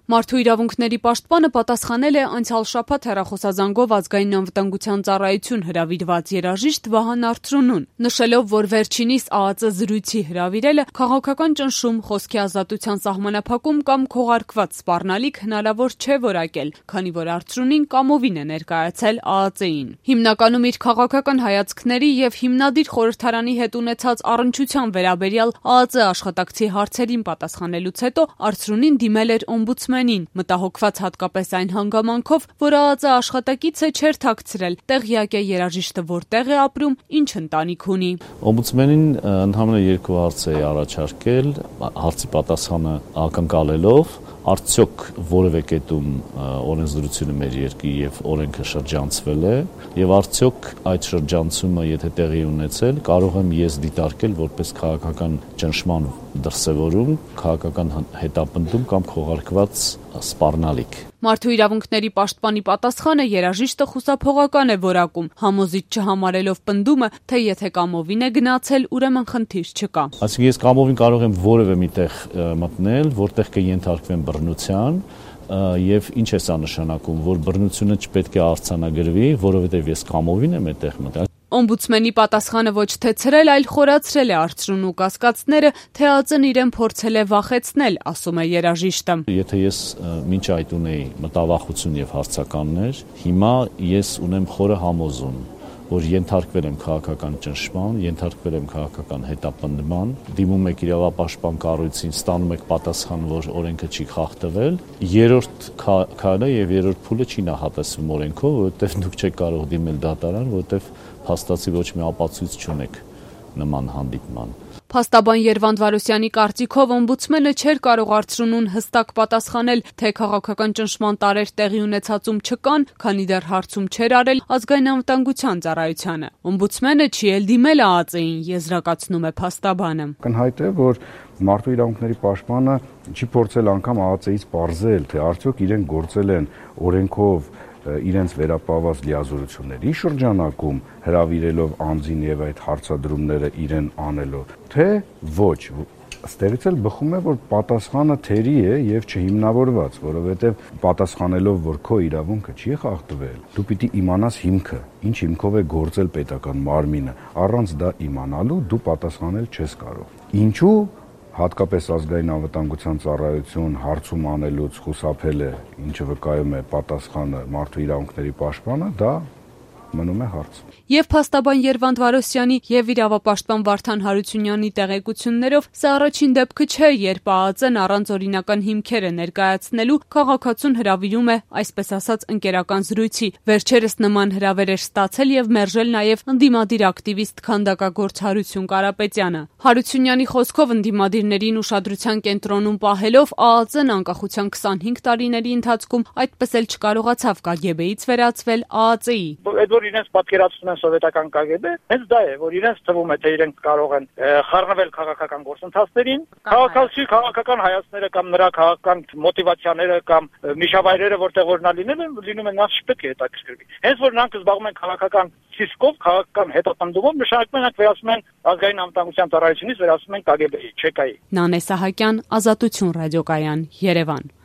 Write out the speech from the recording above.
Մարդու իրավունքների պաշտպանը պատասխանել է անցյալ շաբաթ հեռախոսազանգով Ազգային անվտանգության ծառայություն հրավիրված երաժիշտ Վահան Արծրունուն, նշելով, որ վերջինիս ԱԱԾ զրույցի հրավիրելը քաղաքական ճնշում, խոսքի ազատության սահմանափակում կամ քողարկված սպառնալիք հնարավոր չէ որակել, քանի որ Արծրունին կամովին է ներկայացել ԱԱԾ-ին։ Հիմնականում իր քաղաքական հայացքների եւ հիմնադիր խորհրդարանի հետ ունեցած առնչության վերաբերյալ ԱԱԾ աշխատակցի հարցերին պատասխանելուց հետո Արծրունին դիմել էր օմբուդսմենին, մտահոգված հատկապես այն հանգամանքով, որ ԱԱԾ աշխատակիցը չէր թաքցրել, տեղյակ է երաժիշտը որտեղ է ապրում, ինչ ընտանիք ունի։ Օմբուդսմենին ընդհանրապես երկու հարց է առաջարկել, հարցի պատասխանը ակնկալելով, արդյոք որևէ կետում օրենսդրությունը մեր երկրի եւ օրենքը շրջանցվել է եւ արդյոք այդ շրջանցումը եթե տեղի ունեցել կարող եմ ես դիտարկել որպես քաղաքական ճնշման դրսևորում, քաղաքական հետապնդում կամ քողարկված սպառնալիք։ Մարդու իրավունքների պաշտպանի պատասխանը երաժիշտը խուսափողական է որակում, համոզիչ չհամարելով պնդումը, թե եթե կամովին է գնացել, ուրեմն խնդիր չկա։ Այսինքն ես կամովին կարող եմ որևէ միտեղ մտնել, որտեղ կենթարկվեմ բռնության, եւ ինչ է սա նշանակում, որ բռնությունը չպետք է արձանագրվի, որովհետեւ ես կամովին եմ այդտեղ մտել։ Օմբուդսմենի պատասխանը ոչ թե ցրել, այլ խորացրել է Արծրունու կասկածները, թե ԱԱԾ-ն իրեն փորձել է վախեցնել, ասում է երաժիշտը։ Եթե ես մինչ այդ ունեի մտավախություն եւ հարցականներ, հիմա ես ունեմ խորը համոզում, որ ենթարկվել եմ քաղաքական ճնշման, ենթարկվել եմ քաղաքական հետապնդման, դիմում եք իրավապաշտպան կառույցին, ստանում եք պատասխան, որ օրենքը չի խախտվել, երրորդ քայլը եւ երրորդ փուլը չի նախատեսվում օրենքով, որովհետեւ դուք չեք կարող դիմել դատարան, որովհետեւ փաստացի ոչ մի ապացույց չունեք նման հանդիպման։ Փաստաբան Երվանդ Վարոսյանի կարծիքով օմբուդսմենը չէր կարող Արծրունուն հստակ պատասխանել, թե քաղաքական ճնշման տարեր տեղի ունեցածում չկան, քանի դեռ հարցում չէր արել Ազգային անվտանգության ծառայությանը։ Օմբուդսմենը չի էլ դիմել ԱԱԾ-ին, եզրակացնում է փաստաբանը։ Կնհայտ է, որ մարդու իրավունքների պաշտպանը չի փորձել անգամ ԱԱԾ-ից պարզել, թե արդյոք իրենք գործել են օրենքով իրենց վերապահված լիազորությունների շրջանակում հրավիրելով անձին եւ այդ հարցադրումները իրեն անելով, թե ոչ։ Ստեղից էլ բխում է, որ պատասխանը թերի է եւ չհիմնավորված, որովհետեւ պատասխանելով, որ քո իրավունքը չի խախտվել, դու պիտի իմանաս հիմքը, ինչ հիմքով է գործել պետական մարմինը, առանց դա իմանալու դու պատասխանել չես կարող։ Ինչու հատկապես Ազգային անվտանգության ծառայություն հարցում անելուց խուսափել է, ինչը վկայում է պատասխանը մարդու իրավունքների պաշտպանը, դա մնում է հարց։ Եվ փաստաբան Երվանդ Վարոսյանի եւ իրավապաշտպան Վարդան Հարությունյանի տեղեկություններով սա առաջին դեպքը չէ, երբ ԱԱԾ-ն առանց օրինական հիմքերը ներկայացնելու քաղաքացուն հրավիրում է, այսպես ասած, ընկերական զրույցի։ Վերջերս նման հրավեր էր ստացել եւ մերժել նաեւ ընդդիմադիր ակտիվիստ քանդակագործ Հարություն Կարապետյանը։ Հարությունյանի խոսքով ընդդիմադիրներին ուշադրության կենտրոնում պահելով ԱԱԾ-ն անկախության 25 տարիների ընթացքում այդպես էլ չկարողացավ KGB-ից վերածվել ԱԱԾ-ի։ Որ իրենց պատկերացնում են սովետական KGB, հենց դա է, որ իրենց թվում է, թե իրենք կարող են խառնվել քաղաքական գործընթացներին, քաղաքական հայացքները կամ նրա քաղաքական մոտիվացիաները կամ միջավայրերը, որտեղ որ նա լինում են, նա չպետք է հետաքրքրվի։ Հենց որ նրանք զբաղվում են քաղաքական ցիսկով, քաղաքական հետապնդումով, նշանակում է վերածում են Ազգային անվտանգության ծառայությունից վերածում են KGB-ի, ՉԿ-ի։ Նանե Սահակյան, Ազատություն ռադիոկայան, Երևան։